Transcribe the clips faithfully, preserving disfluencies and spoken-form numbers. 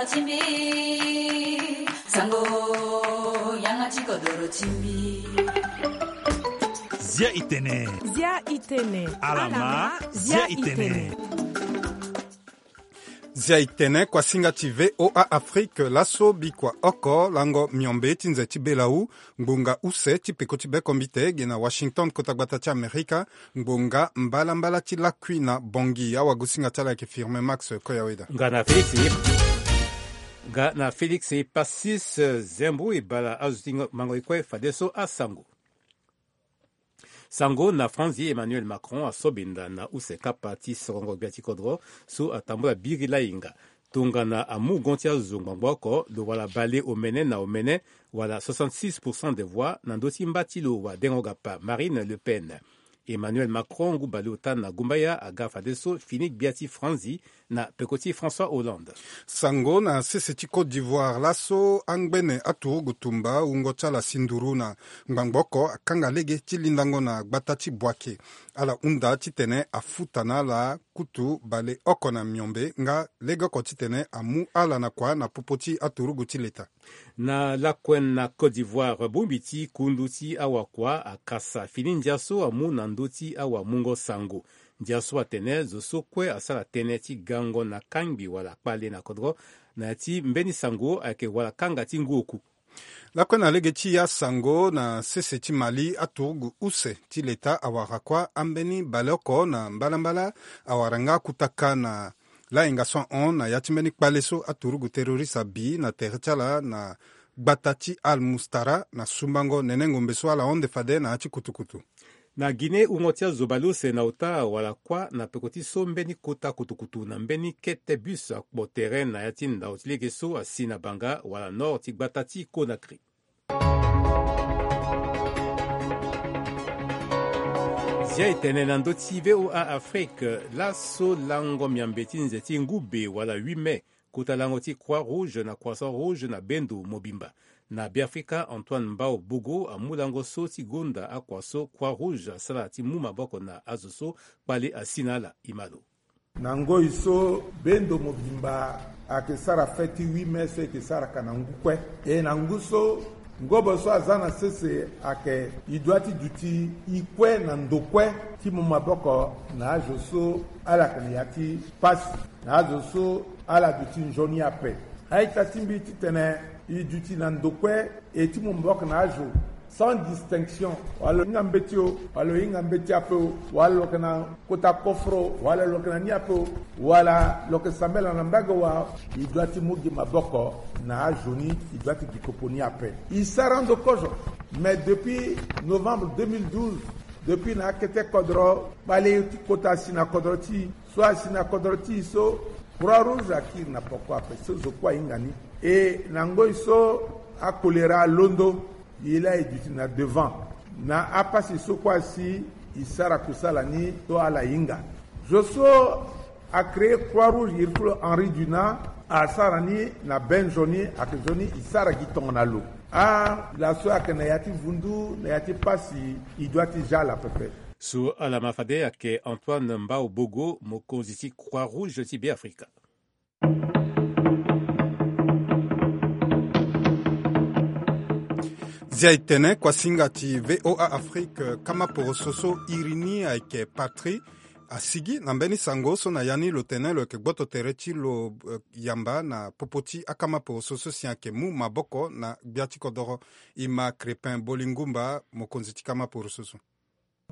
Timbi, sango, yanga ti kodoro timbi. Zia itene. Zia itene. Alama, zia itene. Zia itene, kuasinga ti V O A Afrique, laso bikua oko lango miombe ti nze ti belawu, ngbonga use ti peko ti bekombite ge na Washington, kota gbata ti Amerika, ngbonga mbalambala ti lakui na Bangui. Awagosinga ti ala ayeke Firmin Max Koyaweda. Nga na Félix, nga na Félix Passis, eh, Zembo e bala azo ti ngo-, mango e kue fadeso asango. Sango na Franzi, Emmanuel Macron aso benda na use kapa ti sorongo gbia ti kodro so atambula biri lainga. Tongana amu gon ti azo ngbangbo oko, lo wala bale omene na omene, wala soixante-six pour cent des voix na ndö ti mba ti lo wadengo gapa Marine Le Pen. Emmanuel Macron ngu bale ota na gumbaya aga fadeso fini gbia ti Franzi na peko ti François Hollande. Sango na sese ti Côte d'Ivoire, laso angbene aturugu tumba wungo ti ala si nduru na ngbangbo oko akanga lege ti lindango na gbata ti Boaké. Ala hunda titene afuta na ala kutu bale oko na miombe nga lege oko titene amu ala na kua na popo ti aturugu ti leta. Na lakue na Côte d'Ivoire, bongbi ti kundu ti awakua akasa fini ndia so amu na ndö ti awamungo sango. Ndia so atene zo so kue asara tënë ti gango na kangbi wala kpale na kodro na ya ti mbeni sango ayeke wala kanga ti ngu oku. Lakue na lege ti asango na sese ti Mali, aturugu use ti leta awara kua ambeni baleoko na mbalambala, awara nga akutaka na lainga so ahon na ya ti mbeni kpale so aturugu terroriste abi na tere ti ala na gbata ti Al Mustara na sumbango nene ngombe so ala honde fade na ya ti kutukutu. Na Guinée, wungo ti azo baleuse na ota wala kua na peko ti so mbeni kota kutukutu na mbeni kete bus akpo tere na ya ti ndao ti lege so asi na banga wala nord ti gbata ti Conakry. Zia e tene na ndö ti V O A Afrique, laso lango miambe ti nze ti ngube wala huit mai, kota lango ti Croix Rouge na Croissant Rouge na bendo mobimba. Na Beafrika, Antoine Mbao Bogo amu lango so ti gonda akua so Croix Rouge asara ti mu maboko na azo so kpale asi na ala. Imalo. Na ngoi so bendo mobimba ayeke sara fête ti huit mai so e yeke saraka na ngu kue. E na ngu so, ngobo so aza na sese ayeke e doit ti duti e kue na ndo kue ti mu maboko na azo so ala yeke na ya ti pasi, na azo so ala duti nzoni ape. A-ita ti mbi titene e duti na ndo kue e ti mu maboko na azo sans distinction, wala lo hinga mbeti o, wala lo hinga mbeti ape o, wala lo yeke na kota koforo, wala lo yeke na ni ape o, wala lo yeke sambela na mbage wa, e doit ti mu gi maboko na azo ni, e doit ti gi popo ni ape. E sara ndo kozo. Mais depuis novembre deux mille douze, depuis na akete kodro kpale ti kota asi na kodro ti e, so asi na kodro ti e so, Croix Rouge akiri na poko ape so zo kue ahinga ni. E na ngoi so akolera alondo, e laa e duti na devant. Na apasi so kue asi, e sara kusala ni so ala hinga. Zo so acréer Croix Rouge, iri ti lo Henri Dunant, asara ni na be nzoni, ayeke nzoni e sara gi tongana lo. Ala so ayeke na ya ti vundu, na ya ti pasi, e doit ti za ala pepe. So ala ma fade ayeke Antoine Mbao Bogo, mokonzi ti Croix Rouge ti Beafrika. Zia e tene, kuasinga ti V O A Afrique, kamaporoso so iri ni ayeke Patrie, asigi na mbeni sango so na ya ni lo tene lo yeke gboto tere ti lo, eh, yamba na popo ti akamaporoso so si ayeke mu maboko na gbia ti kodoro. E ma Crépin Bolingumba, mokonzi ti kamaporoso so.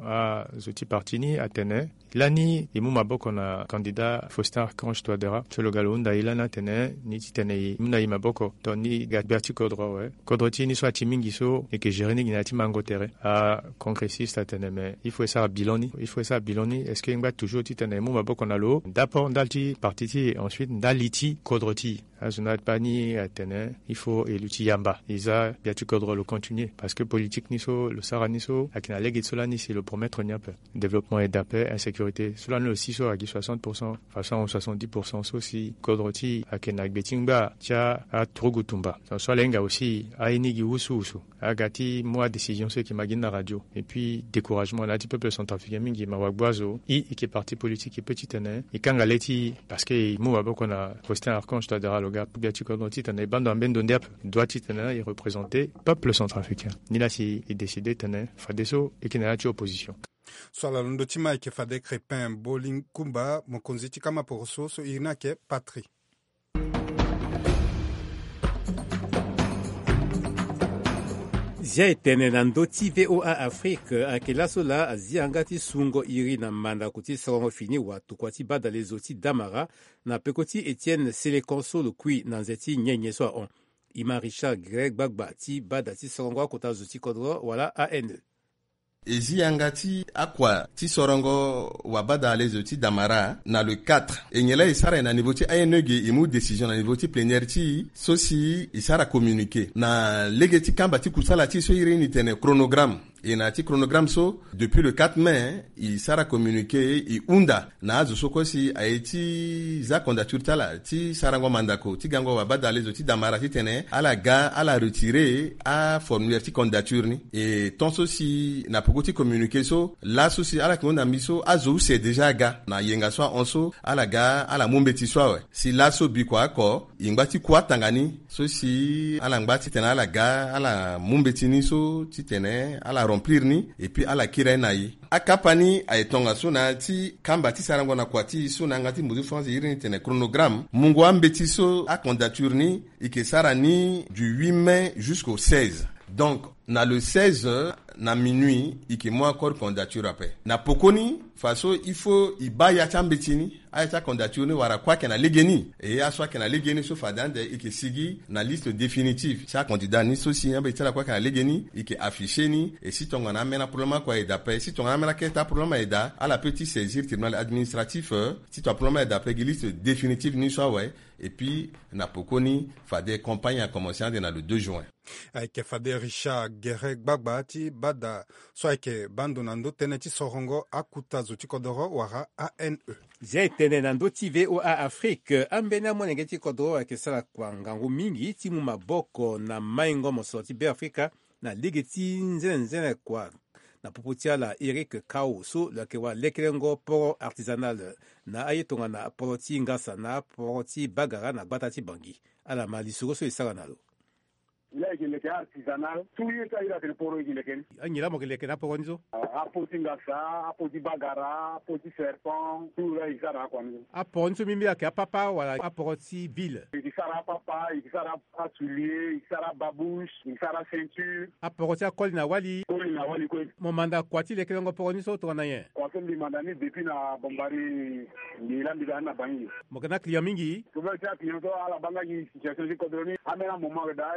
Azo ti parti ni atene lani e mu maboko na candidat Faustin Archange Touadéra. So lo ga lo hunda e lani atene ni titene e mu na e maboko tongana e ga gbia ti kodro awe. Kodro ti e ni so ati mingi so e yeke gérer ni gi na ya ti mango tere. Acongressiste atene mais il faut e sara bilan ni, il faut e sara bilan ni. Est-ce que e ngba toujours titene e mu maboko na lo d'abord ndali ti parti ti e, ensuite ndali ti kodro ti e? Azo ni ape ni atene il faut e luti yamba, e za gbia ti kodro lo continuer, parce que politique ni so lo sara ni so ayeke na lege ti so lani si lo promettre ni ape. Développement et de la paix, insécurité, so lani lo si so ayeke gi soixante pour cent, façon soixante-dix pour cent so si kodro ti e ayeke na gbe ti ngba ti aturugu tumba. Donc so ala hinga aussi aye ni gi wusuwusu. Aga ti mu adécision so e yeke ma gi ni na radio. Et puis découragement na ya ti peuple centrafricain mingi, ma wagbu azo. E, e yeke parti politique, e peut titene e kanga le ti e, parce que e mu maboko na Faustin Archange Touadéra lo. Ga pubia ti kodro titene e baa ndo na mbeni ndo ndia ape, e doit titene e représenter peuple centrafricain. Ni laa si e décider titene fadeso e yeke na ya ti opposition. So ala londo ti ma ayeke fade Crépin Bolinkumba, mokonzi ti kama poroso so iri ni ayeke Patrie. Zia e tene na ndö ti V O A Afrique, ayeke laso laa azi yanga ti sungo iri na mandako ti sarango fini watokua ti badalezo ti damara na peko ti Etienne Selekan so lo kui na nze ti nyenye so ahon. E ma Richard Greg Gbagba ti bada ti sarango akota zo ti kodro wala A N E. E zi yanga ti akua ti sorongo wabadalezo ti damara na le quatre. E nyen laa e sara e na niveau ti A N E ge, e mu décision na niveau ti plénière ti e so si e sara communiqué na lege ti kamba ti kusala ti e so iri ni tene chronogramme. E na ya ti chronogramme so, depuis le quatre mai, e sara communiqué, e hunda na azo so kue si aye ti za candidature ti ala ti sarango mandako ti gango wabadalezo ti damara titene ala ga ala retirer aformulaire ti candidature ni. E tant so si na peko ti communiqué so, laso si ala yeke hunda mbi so, azo use déjà aga na yenga so ahon so, ala ga ala mu mbeti so awe. Si laso bikua oko, e ngba ti ku atanga ni so si ala ngba titene ala ga ala mu mbeti ni so titene ala remplir ni, et puis ala kiri aye na e. Akapa ni aye tongaso na ya ti kamba ti sarango na kua ti e so na yanga ti mbuzu France iri ni tene chronogramme, mungo ambeti so acandidature ni e yeke sara ni du huit mai jusqu'au seize. Donc na le seize na minuit e yeke mu encore candidature ape. Na pokoni, faso il faut e baa ya ti ambeti ni, aya ti acandidature ni wara kue ayeke na legeni. E aso ayeke na legeni so fade ande e yeke sigi na liste définitive ti acandidat ni so si ambeti ti ala kue ayeke na legeni, e yeke afficher ni. E si tongana ambeni aproblème oko aye daa ape, si tongana ambeni akete aproblème aye daa, ala peut ti saisir tribunal administratif, euh, ti tongana problème aye daa ape gi liste définitive ni so awe. Et puis na pokoni fade campagne akomense ande na le deux juin. Ayeke fade Richard Gere Gbagba ti bada so ayeke baa ndo na ndö tënë ti sorongo akuta zo ti kodoro wala A N E. Zia e tene na ndö ti V O A Afrique, ambeni amolenge ti kodoro ayeke sara kua ngangu mingi ti mu maboko na maingo mosoro ti Beafrika na lege ti nzenenzene kua. Na popo ti ala Eric Kao so lo yeke wara lekerengo poro artisanal na aye tongana poro ti ngasa na poro ti bagara na gbata ti Bangui. Ala ma lisoro so e sara na lo. Ila eke leke artisanal, tout ye ti aye atene poro eke leke ni. Anyen laa mo yeke leke na aporo ni so? Ah, apo ti ngasa, apo ti bagara, apo ti serpent, tout laa eke sara na akua ni so. Aporo ni so mbi mbi ayeke apapa wala aporo ti ville? Eke sara apapa, eke sara asoulier, eke sara ababouche, eke sara aceinture. Aporo ti akoli na wali? Koli na wali kue. Mo manda kua ti lekerengo poro ni so tongana nyen? Kua so mbi manda ni depuis na Bombari, mbi laa mbi ga ni na Bangui. Mo yeke na client mingi? Problème ti aclient so ala baa nga gi situation ti kodro ni. Ambeni amoment ayeke daa,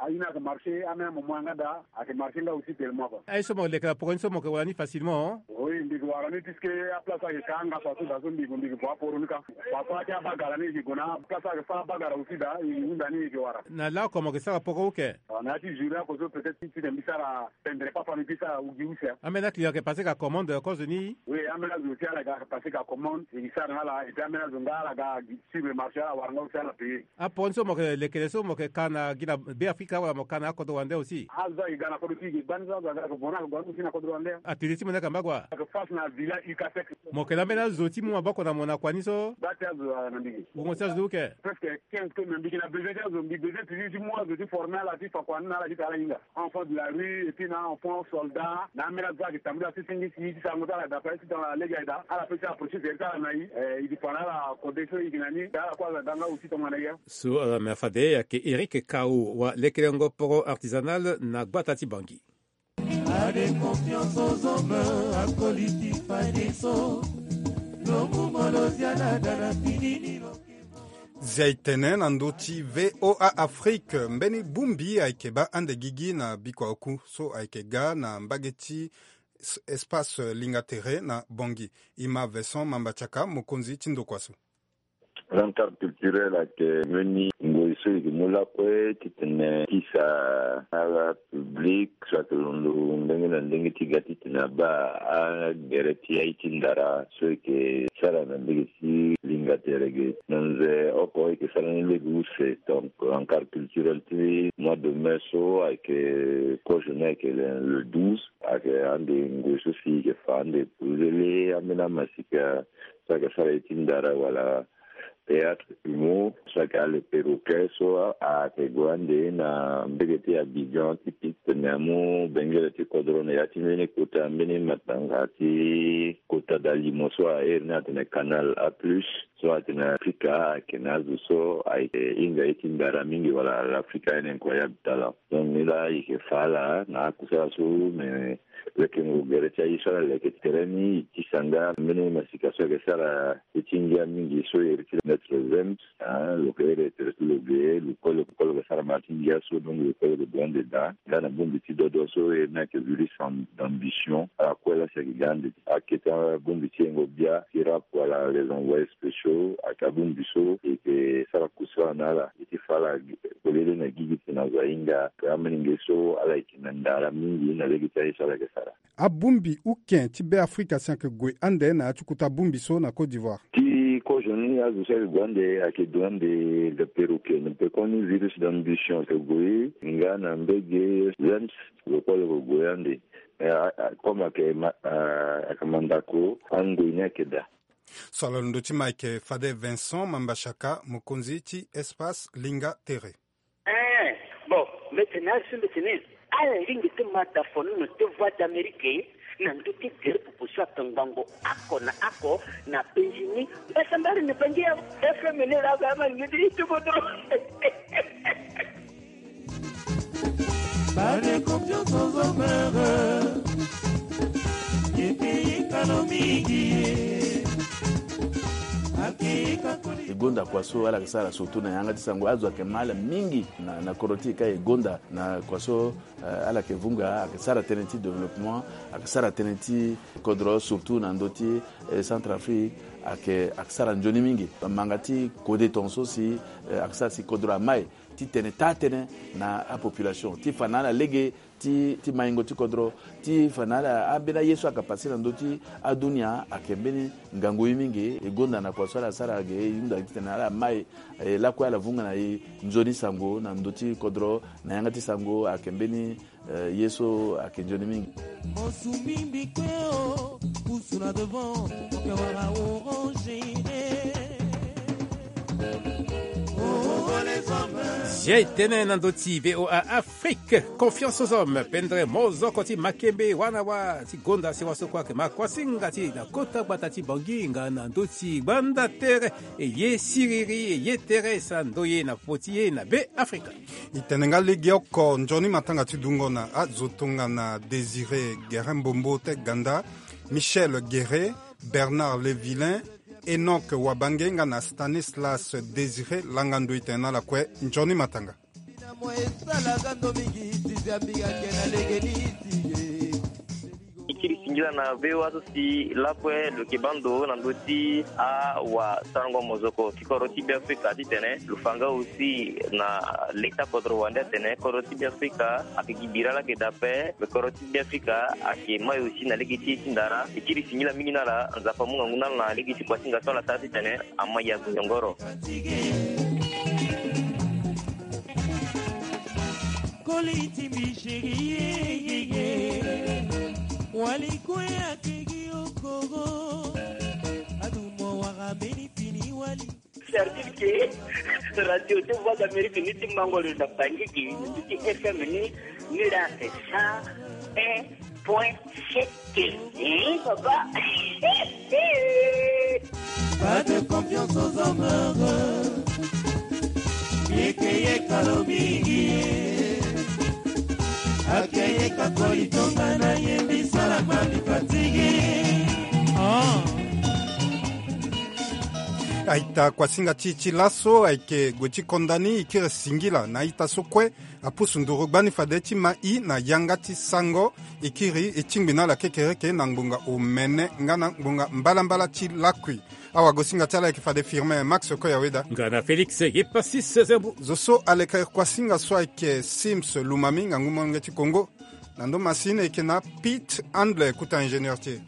aye ni ayeke marché, ambeni amoment yanga daa ayeke marché nga aussi tellement quoi. Aye so mo leke na poko ni so mo yeke wara ni facilement? Oui, mbi yeke wara ni puisque aplace ayeke ka angasa so daa so mbi yeke, mbi yeke gue aporo ni ka. Parfois ake abagara ni yeke gue na aplace ayeke fa abagara aussi daa, e yeke hunda ni e yeke wara. Na laoko mo yeke sara poko uke? Ah, na ya ti journée oko so peut-être ti titene mbi sara pendre papa mbi peut sara gi use. Ambeni aclient ayeke passé ka commande kozo ni? Oui, ambeni azo aussi ala ga passé ka commande, e gi sara na ala, et puis ambeni azo nga ala ga suivre marché, ala wara nga aussi ala payer. Aporo ni so mo yeke leke so mo yeke ka na gi na Beafrika wala mo ka na akodro wande aussi? Azo ayeke ga na kodro ti e, e gba ni so azo aga ayeke gue na, ayeke gue na aussi na kodro wande. Atelier ti mo ni ayeke na mbagua? Ayeke face na villa Ucasec. Mo yeke na ambeni azo ti mu maboko na mo na kua ni so? Gba ti azo na mbi ge. Wungo ti azo ni uke? Presque quinze comme na mbi yeke na besoin ti azo, mbi besoin toujours ti mu azo ti former ala ti fa kua ni na ala ti tara ala hinga. Enfant de la rue, et puis na enfant soldat, na ambeni azo so ayeke tambula ti singisi ti sarango ti ala daa, ti tongana lege aye daa, ala peut ti approcher tere ti ala na e, eh, e dépend na ala kode so e yeke na ni, ala kue azo aga nga aussi tongana e. So ala me fade ayeke Eric Kao wa lekerengo poro artisanal na gbata ti Bangui. Ade confiance aux hommes, akoli ti fadeso. Lo mu mo lo zia na da na fini ni lo. Zia e tene na ndö ti V O A Afrique, mbeni bongbi ayeke baa ande gigi na bikua oku so ayeke ga na mbage ti s-, espace Linga Tere na Bangui. E ma Vincent Mamba Tiaka, mokonzi ti ndokua so. L'encart culturel ayeke mbeni ngoi so e yeke mu lakue titene e kisa ala public so ayeke londo ndenge na ndenge ti ga titene abaa agere ti aye ti ndara so e yeke sara na ndege ti Linga Tere ge. Na nze oko e yeke sara ni lege use. Donc l'encart culturel ti mois de mai so ayeke kozo ni ayeke le, le douze. Ayeke ande ngoi so si e yeke fa ande polele ambeni amasika so ayeke sara aye ti ndara wala Théâtre Humo so ayeke ale Perroquet so ayeke gue ande na mbege ti Abidjan ti piste, me amu bengele ti kodro na ya ti mbeni kota mbeni matanga ti kota dalimo so ahere ni atene Canal A plus, so atene Afrika ayeke na azo so ayeke hinga ye ti ndara mingi wala l'Africaine incroyable talent. Donc ni laa e yeke fa ala na akusala so, me lekengo gere ti aye so ala leke tere ni e tisa nga mbeni masika so ayeke sara ye ti ngia mingi so iri ti Maître James. Ah, lo ke iri tere ti lo ge, lo kue lo kue lo ke sara ma ti ngia so, donc lo kue lo ke gue ande daa. Nga na bongbi ti dodo so iri ni ayeke virus d'ambition. Ala kue laa si ayeke ga ande. Ayeke ti abongbi ti yengo bia ti rap wala les envoyés spéciaux, ayeke abongbi so e yeke sara kusala na ala. E ti fa ala polele na gigi titene azo ahinga. Amolenge so ala yeke na ndara mingi na lege ti aye so ala yeke sara. Abongbi uken ti Beafrika si ayeke gue ande na ya ti kota bongbi so na Côte d'Ivoire. Ti kozo ni azo so ayeke gue ande ayeke duti ande le Perroquet, na pekoni virus d'ambition ayeke gue nga na mbege James, lo kue lo yeke gue ande. Eh, ah, ah, comme ayeke ma-, ah, ayeke mandako, angoi ni ayeke daa. So ala londo ti Mike Fade Vincent Mambashaka, mokonzi ti Espace Linga Tere. Eh, bon, mbeti na azo mbeti ni. Ala lingbi ti ma da fono na te Voix d'Amérique na ndö ti gere popo so atongbango oko na oko na penzi ni. Mbasambari na bangi ya F M ni la ba ma ni ti tubo dro. Pas de confiance aux hommes heureux. Yeke ye kalo mingi ye. Ake ye ka koli. E gonda kua so ala yeke sara surtout na yanga ti sango, azo ayeke ma ala mingi na, na kodro ti e ka e gonda na kua so, eh, ala yeke vunga, ayeke sara tënë ti développement, ayeke sara tënë ti kodro, surtout na ndö ti, eh, Centrafrique, ayeke, ayeke sara nzoni mingi. Manga ti kode tongaso si, eh, ayeke sara si kodro amai ti tene taa tënë na apopulation ti fa na ala lege ti, ti maingo ti kodro, ti fa na ala ambeni aye so ayeke pase na ndö ti adunia ayeke mbeni ngangu ye mingi. E gonda na kua so ala sara ge, e hunda titene ala mai, e lakue ala vunga na e nzoni sango na ndö ti kodro, na yanga ti sango ayeke mbeni, eh, ye so ayeke nzoni mingi. Mosumi mbi kue o, pusu na devant, oke wara orange. Oh, oh, les hommes. Zia e tene na ndö ti V O A Afrique, confiance aux hommes, pendre mozoko ti makembe, wana wa ti gonda si wa so kue ayeke ma kuasinga ti na kota gbata ti Bangui nga na ndö ti gbanda tere, e ye siriri, e ye tere e sara ndoye na popo ti e na Beafrika. E tene nga lege oko nzoni matanga ti dungo na azo tongana Désiré Guérin Mbombo te Ganda, Michel Guéré, Bernard Levillain, Enoch Wabange nga na Stanislas Désiré Langando. E tene na ala kue nzoni matanga. E kiri singila na V O A so si lakue lo yeke baa ndo na ndö ti awasarango mozoko ti kodro ti Beafrika titene lo fa nga aussi na leta kodro wande atene kodro ti Beafrika ayeke gi bira laa ayeke daa ape, me kodro ti Beafrika ayeke mai aussi na lege ti ye ti ndara. E kiri singila mingi na ala, Nzapa amu ngangu na ala na lege ti kuasinga so ala sara titene ama ya gonyongoro. Koli ti mbi chéri ye, ye, ye. Wali kue ayeke gi okoro. Adumo wara mbeni fini wali. C'est-à-dire que radio ti Voix d'Amérique ni ti mango lo na Bangui, ni ti F M ni, ni la c'est cent un point sept. Hein, papa. Pas de confiance aux hommes heureux. Yeke yeka lo mingi. Ake yeka koli tonga na ye mbi sala ma mbi fatigué. Ah. Aita kuasinga ti, ti laso ayeke gue ti konda ni, e kiri singila na aita so kue apusu nduru gbani fade ti ma i na yanga ti sango. E kiri e tingbi na ala kekereke na ngbonga omene nga na ngbonga mbalambala ti lakui. Awagosinga ti ala ayeke fade Firmin Max Koyaweda nga na Félix Yepasis Zembo. Zo so aleke kuasinga so ayeke Sims Lumami, ngangu molenge ti Congo. Na ndo masini ayeke na Pete Handle, kuta ingénieur ti e.